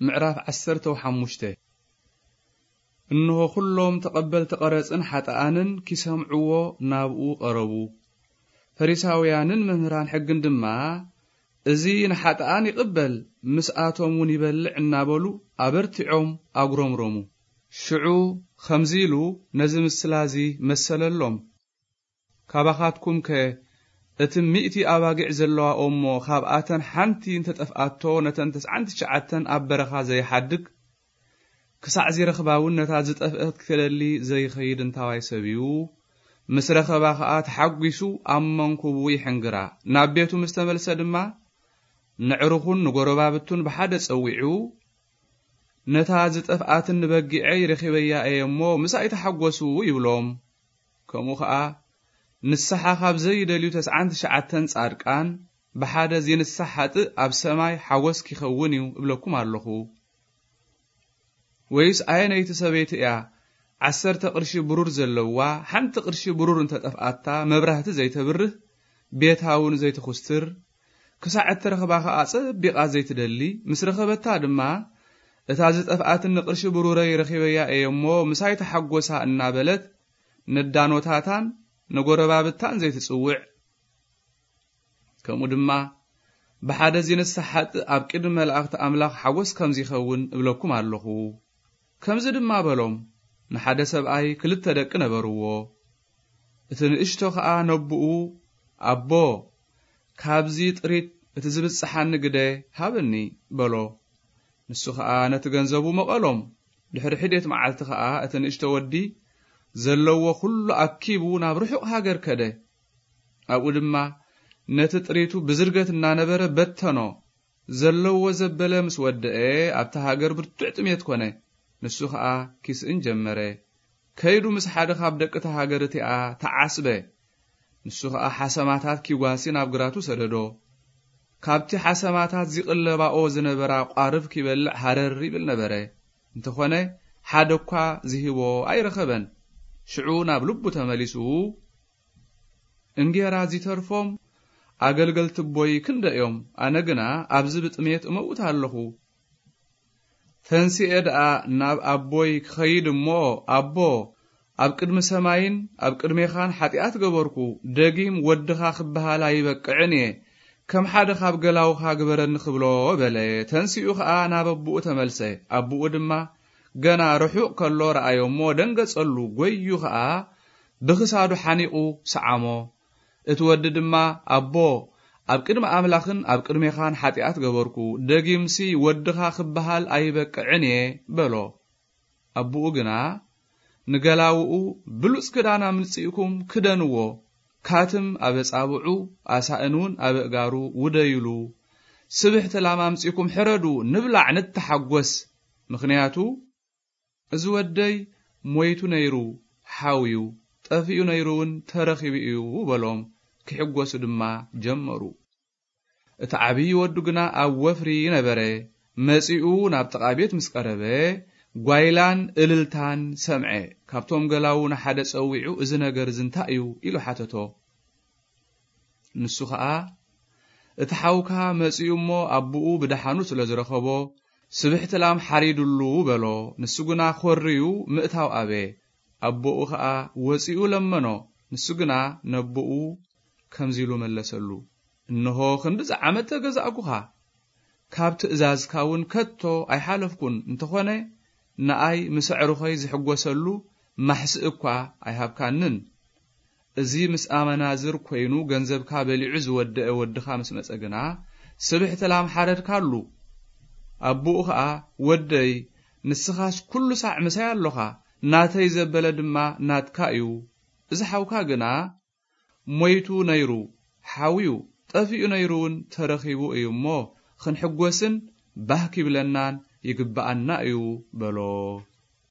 ምዕራፍ ዓሰርተ ሓሙሽተ። እንሆ፣ ኩሎም ተቐበልቲ ቀረጽን ሓጥኣንን ኪሰምዕዎ ናብኡ ቀረቡ። ፈሪሳውያንን መምህራን ሕግን ድማ፣ "እዚ ንሓጥኣን ይቕበል፣ ምስኣቶም እውን ይበልዕ" እናበሉ ኣበርቲዖም ኣጉረምረሙ። ሽዑ ከምዚ ኢሉ ነዚ ምስላ እዚ መሰለሎም። "ካባኻትኩምከ እቲ ሚእቲ ኣባጊዕ ዘለዋ እሞ፣ ካብኣተን ሓንቲ እንተጠፍኣቶ፣ ነተን ተስዓን ትሽዓተን ኣብ በረኻ ዘይሓድግ? ክሳዕ ዚረኽባ እውን ነታ ዝጠፍአት ክደሊ ዘይኸይድ እንታዋይ ሰብ እዩ? ምስ ረኸባ ኸኣ ተሓጒሱ ኣብ መንኩቡ ይሕንግራ። ናብ ቤቱ ምስ ተመልሰ ድማ፣ ነዕሩኹን ንጎረባብቱን ብሓደ ጸዊዑ፣ ነታ ዝጠፍኣትኒ በጊዐይ ረኺበያ እየ እሞ፣ ምሳይ ተሓጎሱ" ይብሎም። ከምኡ ኸኣ፣ "ንስሓ ካብ ዘይደልዩ ተስዓን ትሽዓተን ጻድቃን፣ ብሓደ ዚንሳሕ ሓጥእ ኣብ ሰማይ ሓጎስ ኪኸውን እዩ እብለኩም ኣለኹ። ወይስ ኣየነይቲ ሰበይቲ እያ ዓሰርተ ቅርሺ ብሩር ዘለዋ፣ ሓንቲ ቅርሺ ብሩር እንተጠፍኣታ፣ መብራህቲ ዘይተብርህ፣ ቤታ እውን ዘይትኹስትር? ክሳዕ እትረኽባ ኸኣ ጸቢቓ ዘይትደሊ፣ ምስ ረኸበታ ድማ፣ 'እታ ዝጠፍኣትኒ ቅርሺ ብሩረይ ረኺበያ እየ እሞ፣ ምሳይ ተሓጎሳ' እናበለት፣ ነዳኖታታን ነጎረባብታን ዘይትጽውዕ? ከምኡ ድማ፣ ብሓደ ዚንሳሕ ሓጥእ ኣብ ቅድሚ መላእኽቲ ኣምላኽ ሓጎስ ከም ዚኸውን እብለኩም ኣለኹ።" ከምዚ ድማ በሎም፣ ንሓደ ሰብኣይ ክልተ ደቂ ነበርዎ። እቲ ንእሽቶ ኸኣ ነቦኡ፣ "ኣቦ፣ ካብዚ ጥሪት እቲ ዝብጽሓኒ ግደ ሃበኒ" በሎ። ንሱ ኸኣ ነቲ ገንዘቡ መቐሎም። ድሕሪ ሒደት መዓልቲ ኸኣ እቲ ንእሽቶ ወዲ ዘለዎ ኹሉ ኣኪቡ ናብ ርሑቕ ሃገር ከደ። ኣብኡ ድማ ነቲ ጥሪቱ ብዝርገት እናነበረ በተኖ። ዘለዎ ዘበለ ምስ ወደአ፣ ኣብታ ሃገር ብርቱዕ ጥሜት ኮነ። ንሱ ኸኣ ኪስእን ጀመረ። ከይዱ ምስ ሓደ ካብ ደቂ እታ ሃገር እቲኣ ተዓስበ። ንሱ ኸኣ ሓሰማታት ኪጓሲ ናብ ግራቱ ሰደዶ። ካብቲ ሓሰማታት ዚቕለባኦ ዝነበራ ቋርፍ ኪበልዕ ሃረር ይብል ነበረ። እንተኾነ፣ ሓደ እኳ ዚህቦ ኣይረኸበን። ሽዑ ናብ ልቡ ተመሊሱ፣ "እንጌራ ዚተርፎም ኣገልገልቲ ኣቦይ ክንደይ እዮም? ኣነ ግና ኣብዚ ብጥሜት እመውት ኣለኹ። ተንሲኤ ደኣ ናብ ኣቦይ ክኸይድ እሞ፣ ኣቦ፣ ኣብ ቅድሚ ሰማይን ኣብ ቅድሜኻን ሓጢኣት ገበርኩ፣ ደጊም ወድኻ ክበሃል ኣይበቅዕን እየ፣ ከም ሓደ ካብ ገላውኻ ግበረኒ" ክብሎ በለ። ተንሲኡ ኸኣ ናብ ኣቦኡ ተመልሰ። ኣቦኡ ድማ ገና ርሑቕ ከሎ ረኣዮ እሞ ደንገጸሉ፣ ጐዩ ኸኣ ብኽሳዱ ሓኒቑ ሰዓሞ። እቲ ወዲ ድማ፣ "ኣቦ፣ ኣብ ቅድሚ ኣምላኽን ኣብ ቅድሜኻን ሓጢኣት ገበርኩ፣ ደጊምሲ ወድኻ ክበሃል ኣይበቅዕን እየ" በሎ። ኣቦኡ ግና ንገላውኡ፣ "ብሉጽ ክዳን ኣምጺእኩም ክደንዎ፣ ካትም ኣብ ኣጻብዑ፣ ኣሳእን እውን ኣብ ኣእጋሩ ውደዩሉ። ስብሕቲ ላም ኣምጺእኩም ሕረዱ፣ ንብላዕ፣ ንተሓጎስ። ምኽንያቱ እዚ ወደይ ሞይቱ ነይሩ፣ ሓውዩ፣ ጠፊኡ ነይሩ እውን ተረኺቡ እዩ" በሎም። ክሕጎሱ ድማ ጀመሩ። እቲ ዓብዪ ወዱ ግና ኣብ ወፍሪ ነበረ። መጺኡ ናብ ጥቓ ቤት ምስ ቀረበ፣ ጓይላን እልልታን ሰምዐ። ካብቶም ገላዉ ንሓደ ጸዊዑ፣ "እዚ ነገር እዚ እንታይ እዩ?" ኢሉ ሓተቶ። ንሱ ኸኣ፣ "እቲ ሓውካ መጺኡ እሞ፣ ኣቦኡ ብደሓኑ ስለ ዝረኸቦ፣ ስብሕቲ ላም ሓሪዱሉ" በሎ። ንሱ ግና ኾርዩ ምእታው ኣበየ። ኣቦኡ ኸኣ ወጺኡ ለመኖ። ንሱ ግና ነቦኡ ከምዚ ኢሉ መለሰሉ፣ "እንሆ፣ ክንድዚ ዓመት ተገዛእኩኻ፣ ካብ ትእዛዝካ እውን ከቶ ኣይሓለፍኩን። እንተኾነ፣ ንኣይ ምስ ኣዕሩኸይ ዝሕጎሰሉ ማሕስእ እኳ ኣይሃብካንን። እዚ ምስ ኣመናዝር ኮይኑ፣ ገንዘብካ በሊዑ ዝወደአ ወድኻ ምስ መጸ ግና፣ ስብሕቲ ላም ሓረድካሉ።" ኣቦኡ ኸኣ፣ "ወደይ፣ ንስኻስ ኩሉ ሳዕ ምሳይ ኣሎኻ፣ ናተይ ዘበለ ድማ ናትካ እዩ። እዚ ሓውካ ግና ሞይቱ ነይሩ፣ ሓውዩ፣ ጠፊኡ ነይሩ እውን ተረኺቡ እዩ እሞ፣ ክንሕጎስን ባህ ኪብለናን ይግብኣና እዩ" በሎ።